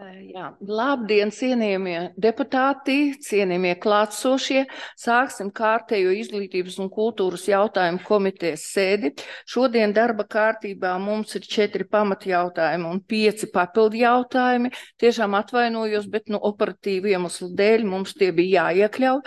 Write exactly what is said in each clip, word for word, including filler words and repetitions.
Jā, labdien, cienījamie deputāti, cienījamie klātsošie. Sāksim kārtējo izglītības un kultūras jautājumu komitejas sēdi. Šodien darba kārtībā mums ir četri pamatjautājumi un pieci papildu jautājumi. Tiešām atvainojos, bet no operatīvu iemeslu dēļ mums tie bija jāiekļauj.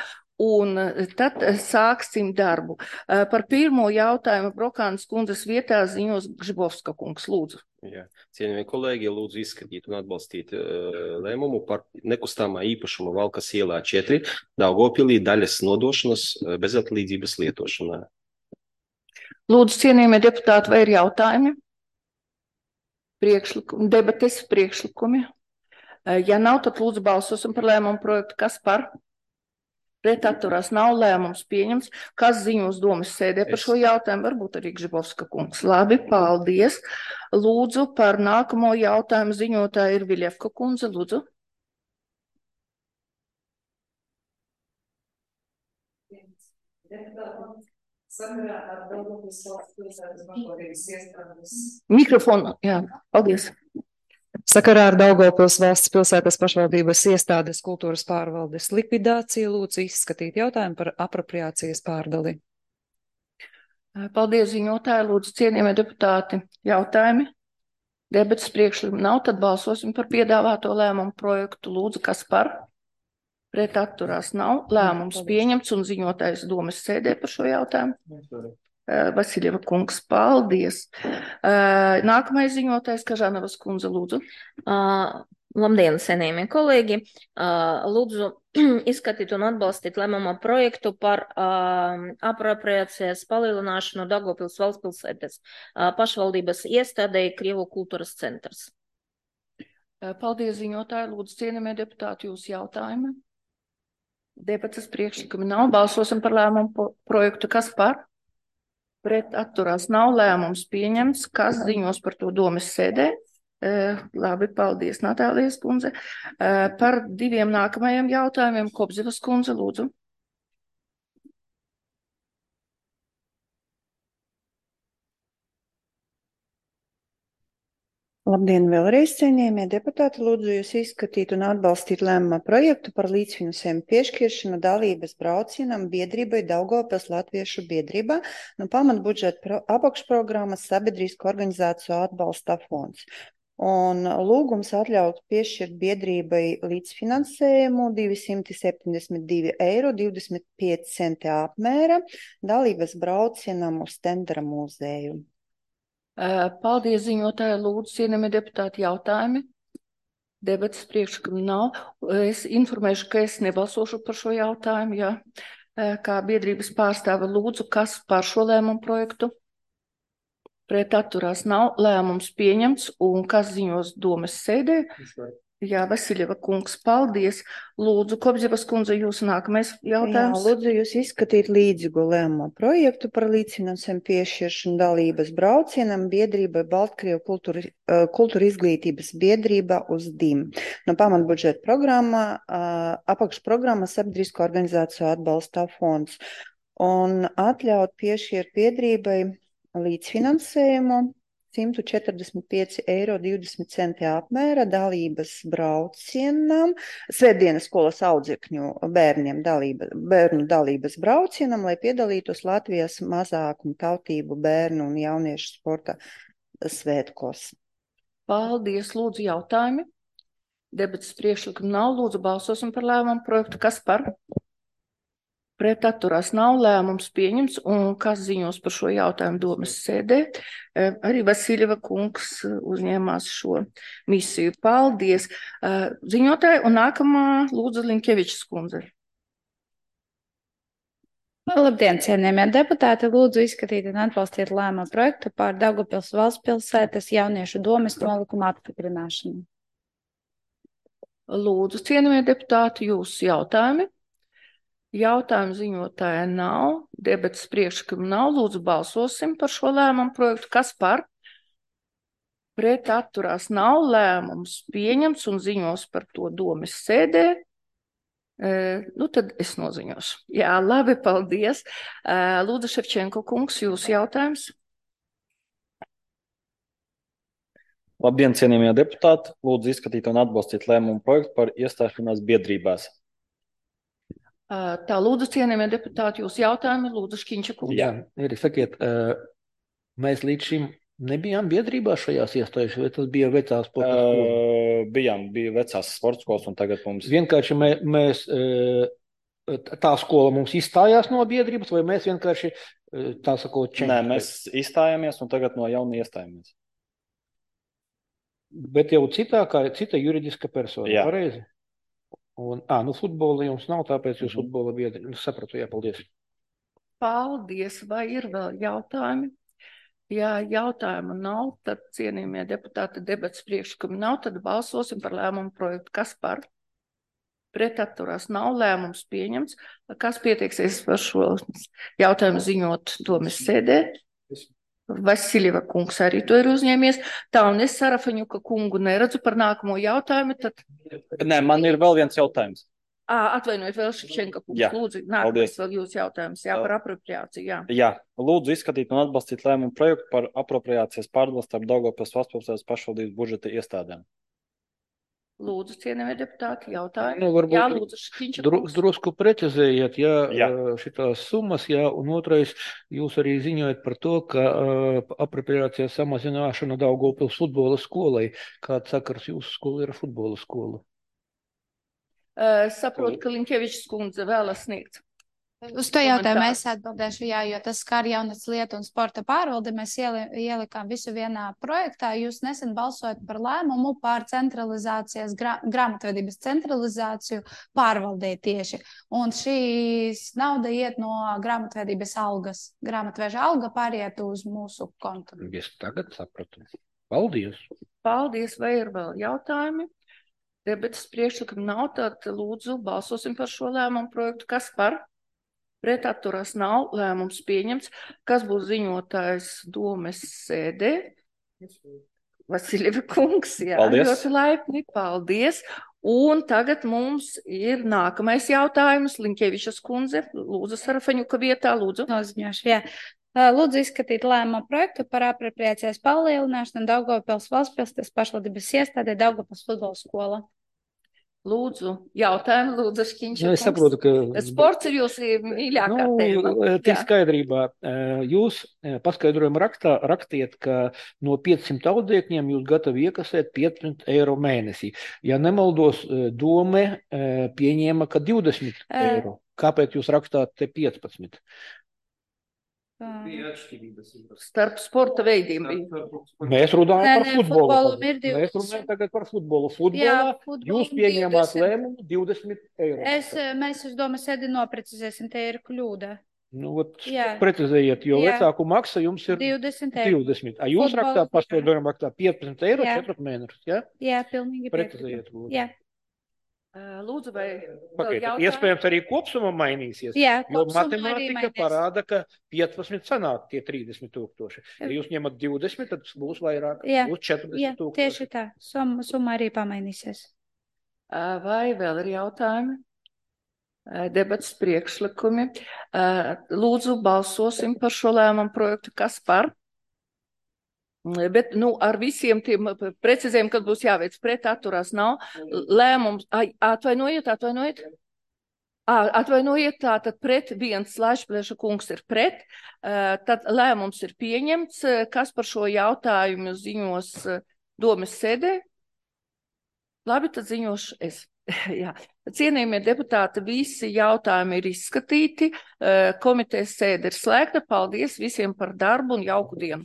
Un tad sāksim darbu. Par pirmo jautājumu Brokānas kundzes vietā ziņos Gžibovska kungs. Lūdzu. Jā. Cienījamie kolēģi, lūdzu izskatīt un atbalstīt uh, lēmumu par nekustamā īpašuma Valkas ielā četri Daugavpilī daļas nodošanas uh, bezatlīdzības lietošanā. Lūdzu, cienījamie deputāti, vai ir jautājumi? Priekšlikumi, debates, priekšlikumi. Ja nav, tad lūdzu balsosim par lēmumu projektu. Kas par? Pret atturās nav, lēmums pieņems. Kas ziņos domas sēdē par šo jautājumu? Varbūt arī Gžibovska kungs. Labi, paldies. Lūdzu, par nākamo jautājumu ziņotāja ir Viļevka kundze. Lūdzu. Mikrofonu, jā, paldies. Sakarā ar Daugavpils valsts pilsētas pašvaldības iestādes kultūras pārvaldes likvidāciju lūdzu izskatīt jautājumu par apropriācijas pārdali. Paldies, ziņotāji. Lūdzu, cienījamie deputāti, jautājumi. Debates priekšlikumi nav, tad balsosim par piedāvāto lēmumu projektu. Lūdzu, kas par? Pret atturās nav. Lēmums pieņemts un ziņotājs domas sēdē par šo jautājumu. Vasiļeva kungs, paldies. Nākamais ziņotājs Kažanavas kundze, lūdzu. Uh, labdien, cienījamie kolēģi. Uh, lūdzu izskatīt un atbalstīt lēmumu projektu par uh, apropriācijas palielināšanu Daugavpils valsts pilsētas uh, pašvaldības iestādei Krievu kultūras centrs. Paldies, ziņotāji. Lūdzu, cienījamie deputāti, jūsu jautājumi. Debates priekšlikumi nav. Balsosim par lēmumu projektu. Kas par? Pret atturās nav, lēmums pieņemts. Kas ziņos par to domas sēdē? E, labi, paldies, Natālijas kundze. E, par diviem nākamajiem jautājumiem Kobzivas kundze, lūdzu. Labdien, vēlreiz, cienījamie deputāti, lūdzu jūs izskatīt un atbalstīt lēmuma projektu par līdzfinansējumu piešķiršanu dalības braucienam biedrībai Daugavpils Latviešu biedrībā no pamatbudžeta apakšprogrammas Sabiedrisko organizāciju atbalsta fonds. Un lūgums atļaut piešķirt biedrībai līdzfinansējumu divsimt septiņdesmit divi eiro divdesmit pieci centi apmēra dalības braucienam uz Tendera muzeju. Paldies, ziņotāji, lūdzu, cienījamie deputāti, jautājumi. Debates priekšlikumi nav. Es informēšu, ka es nebalsošu par šo jautājumu, jā. Kā biedrības pārstāve lūdzu, kas par šo lēmumu projektu? Pret atturās nav, lēmums pieņemts un kas ziņos domas sēdē? Jā, Vasiļeva kungs, paldies. Lūdzu, Kobzivas kundze, jūsu nākamais jautājums. Jā, lūdzu jūs izskatīt līdzīgu lēmumu projektu par līdzfinansējumu piešķiršanu dalības braucienam biedrībai Baltkrievu kultūra, kultūra izglītības biedrība uz D I M. No pamatbudžeta programmā, apakšprogramma Sabiedrisko organizāciju atbalsta fonds. Un atļaut piešķirt biedrībai līdzfinansējumu simt četrdesmit pieci eiro divdesmit centi apmēra dalības braucienam, svētdienas skolas audzekņu bērniem dalība, bērnu dalības braucienam, lai piedalītos Latvijas mazākumu tautību bērnu un jauniešu sporta svētkos. Paldies, lūdzu, jautājumi. Debates priekšlikumi nav, lūdzu, balsosim par lēmumu projektu. Kas par? Pret atturās nav, lēmums pieņems un kas ziņos par šo jautājumu domas sēdē. Arī Vasiļeva kungs uzņēmās šo misiju. Paldies. Ziņotāji un nākamā lūdzu Linkevičs kundze. Labdien, cienījamie deputāti, lūdzu izskatīt un atbalstīt lēmumu projektu par Daugavpils valsts pilsētas jauniešu domes nolikuma apstiprināšanu. Lūdzu, cienījamie deputāti, jūsu jautājumi. Jautājumu ziņotāja nav, debates priekšlikumi nav, lūdzu balsosim par šo lēmumu projektu. Kas par? Pret atturās nav, lēmums pieņemts un ziņos par to domas sēdē. E, nu tad es noziņošu. Jā, labi, paldies. E, lūdzu, Ševčenko kungs, jūsu jautājums. Labdien, cienījamie deputāti! Lūdzu izskatīt un atbalstīt lēmumu projektu par iestāšanās biedrībās. Tā, lūdzu, cienījamie deputāti, jūs jautājumi, lūdzu, Škiņša kungs. Jā, Eri, sakiet, mēs līdz šim nebijām biedrībā šajās iestājuši, vai tas bija vecās sporta skolas? Uh, bijām, bija vecās sporta skolas, un tagad mums... Vienkārši mē, mēs, tā skola mums izstājās no biedrības, vai mēs vienkārši, tā sakot, čenki? Nē, mēs izstājāmies, un tagad no jauna iestājāmies. Bet jau citā, kā cita juridiska persona, Jā. Pareizi? Un, ā, nu futbola jums nav, tāpēc jūs mm-hmm. futbola biedri. Nu, sapratu, jā, paldies. Paldies, vai ir vēl jautājumi? Ja jautājumu nav, tad cienījamie deputāti debats priekšlikumi nav, tad balsosim par lēmumu projektu. Kas par? Pret atturās nav, lēmums pieņemts. Kas pieteiksies par šo jautājumu ziņot domas sēdē? Vasiljeva kungs arī to ir uzņēmies. Tā, un es Sarafaņuka kungu neredzu par nākamo jautājumu, tad... Nē, man ir vēl viens jautājums. Ā, atvainojiet, vēl Ševčenka kungs, Jā. lūdzu, nākamais vēl jūs jautājums, jā, par apropriāciju, jā. Jā, lūdzu izskatīt un atbalstīt lēmumu projektu par apropriācijas pārdalu starp Daugavpils valsts pašvaldības budžeta iestādēm. Lūdzu, cienījamie deputāti, jautājumi. Nu, varbūt jā, lūdzu, Škiņša dru, kungs. drusku precizējiet, ja Jā. šitās summas, jā, un otrais, jūs arī ziņojat par to, ka uh, apropriācijas samazināšana Daugavpils futbola skolai. Kāds sakars jūsu skola ir futbola skola? Uh, saprotu, ka Linkevičs kundze vēlas sniegt. Uz to jautājumu es atbildēšu, jā, jo tas skar jaunatnes lietu un sporta pārvaldi. Mēs ieli, ielikām visu vienā projektā. Jūs nesen balsojat par lēmumu par centralizācijas, gra, grāmatvedības centralizāciju pārvaldē tieši. Un šīs nauda iet no grāmatvedības algas. Grāmatveža alga pāriet uz mūsu kontu. Es tagad sapratu. Paldies! Paldies, vai ir vēl jautājumi? Debates priekšlikumi nav, tad lūdzu balsosim par šo lēmumu projektu. Kas par? Pret atturās nav, lēmums pieņemts. Kas būs ziņotājs domes sēdē? Vasiljeva kungs, jā, Paldies. ļoti laipni, paldies. Un tagad mums ir nākamais jautājums. Linkevičas kundze, lūdzu, Sarafaņuka vietā, lūdzu. Noziņošu, jā. Lūdzu izskatīt lēmumu projektu par apropriācijas palielināšanu Daugavpils valstspilsētas pašvaldības iestādē Daugavpils futbola skola. Lūdzu, jautājumu, lūdzu, Škiņša Nu, es saprotu, kungs. ka... Sports ir jūsu mīļākā tēma. Nu, tik Jā. skaidrībā. Jūs paskaidrojumu rakstā rakstiet, ka no piecsimt audzēkņiem jūs gatavi iekasēt piecdesmit eiro mēnesī. Ja nemaldos, dome pieņēma, ka divdesmit eiro. Kāpēc jūs rakstāt te piecpadsmit? Starp sporta veidiem bija. Mēs runājam Nē, par nē, futbolu. futbolam ir Mēs divdesmit. runājam tagad par futbolu. Futbolā Jā, futbolam jūs pieņēmāt divdesmit. lēmumu divdesmit eiro. Es, mēs uz domas sēdi noprecizēsim, te ir kļūda. Nu, ot, Jā. precizējiet, jo Jā. vecāku maksa jums ir divdesmit eiro. divdesmit. A jūs Futbola- rakstāt paskaidrojumu raktā piecpadsmit eiro Jā. četrus mēnešus, jā? Jā, pilnīgi Precizējiet, piekrītu. lūdzu. Jā, Lūdzu, vai vēl Pagaidiet, jautājumi? iespējams arī kopsumma mainīsies, Jā, jo kopsumma arī matemātika mainīs. parāda, ka piecpadsmit sanāk tie trīsdesmit tūkstoši. Ja jūs ņemat divdesmit, tad būs vairāk, Jā. būs jā, četrdesmit tūkstoši. tieši tā. Summa, summa arī pamainīsies. Vai vēl ir jautājumi? Debats priekšlikumi. Lūdzu, balsosim par šo lēmumu projektu. Kas par? Bet, nu, ar visiem tiem precizējumiem, kad būs jāveic pret atturās nav. Lēmums, ai, atvainojiet, atvainojiet. Ā, atvainojiet, tā tad pret viens Laišplēša kungs ir pret. Tad lēmums ir pieņemts. Kas par šo jautājumu ziņos domes sēdē? Labi, tad ziņošu es. Jā. Cienījamie deputāti, visi jautājumi ir izskatīti. Komitejas sēde ir slēgta. Paldies visiem par darbu un jauku dienu.